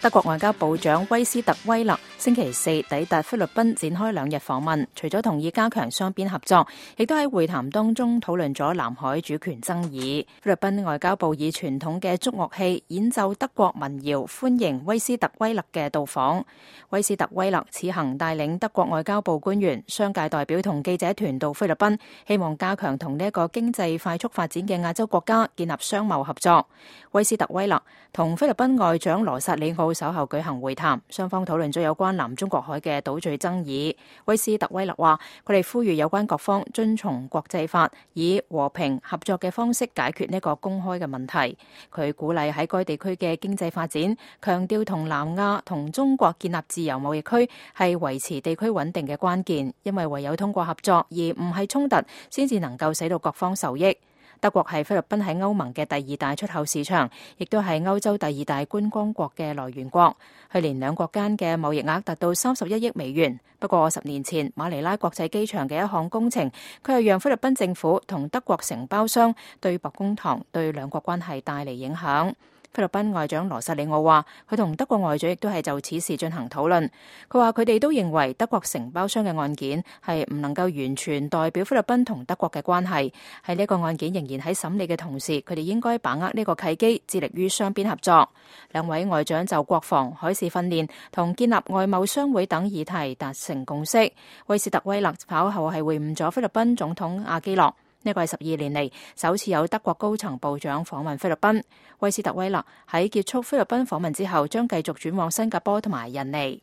德國外交部長威斯特威勒星期四抵達菲律賓，展開2日訪問。除咗同意加強雙邊合作，亦都喺會談當中討論咗南海主權爭議。菲律賓外交部以傳統嘅竹樂器演奏德國民謠，歡迎威斯特威勒嘅到訪。威斯特威勒此行帶領德國外交部官員、商界代表同記者團到菲律賓，希望加強同呢一個經濟快速發展嘅亞洲國家建立商貿合作。威斯特威勒同菲律賓外長羅薩里奧稍後舉行會談，雙方討論咗有關南中國海嘅島嶼爭議。威斯特威勒話，佢哋呼籲有關各方遵從國際法，以和平合作嘅方式解決呢個公開嘅問題。佢鼓勵喺該地區嘅經濟發展，強調同南亞同中國建立自由貿易區係維持地區穩定嘅關鍵，因為唯有通過合作而唔係衝突，先至能夠使到各方受益。德國係菲律賓喺歐盟嘅第2大出口市場，亦都係歐洲第2大觀光國嘅來源國。去年兩國間嘅貿易額達到31億美元。不過10年前馬尼拉國際機場嘅一項工程，佢係讓菲律賓政府同德國承包商對簿公堂，對兩國關係帶嚟影響。菲律賓外長羅薩里奧話，佢同德國外長亦都係就此事進行討論。佢話佢哋都認為德國承包商嘅案件係唔能夠完全代表菲律賓同德國嘅關係。喺呢個案件仍然喺審理嘅同時，佢哋應該把握呢個契機，致力於雙邊合作。兩位外長就國防、海事訓練同建立外貿商會等議題達成共識。威斯特威勒稍後係會晤咗菲律賓總統阿基諾。呢個係12年嚟首次有德國高層部長訪問菲律賓。威斯特威勒喺結束菲律賓訪問之後，將繼續轉往新加坡同埋印尼。